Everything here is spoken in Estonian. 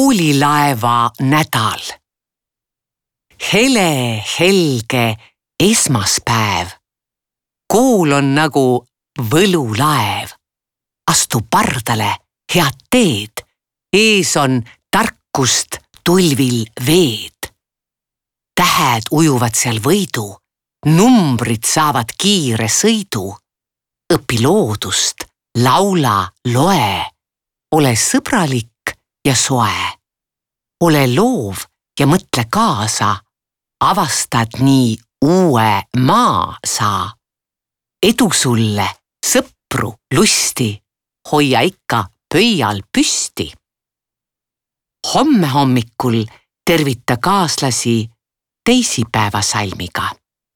Koolilaeva nädal. Hele helge esmaspäev. Kool on nagu võlulaev. Astu pardale, head teed. Ees on tarkust tulvil veed. Tähed ujuvad seal võidu. Numbrid saavad kiire sõidu. Õpi loodust, laula, loe. Ole sõbralik ja soe. Ole loov ja mõtle kaasa. Avastad nii uue maa saa. Edu sulle, sõpru, lusti. Hoia ikka pöial püsti. Homme hommikul tervita kaaslasi teisipäevasalmiga.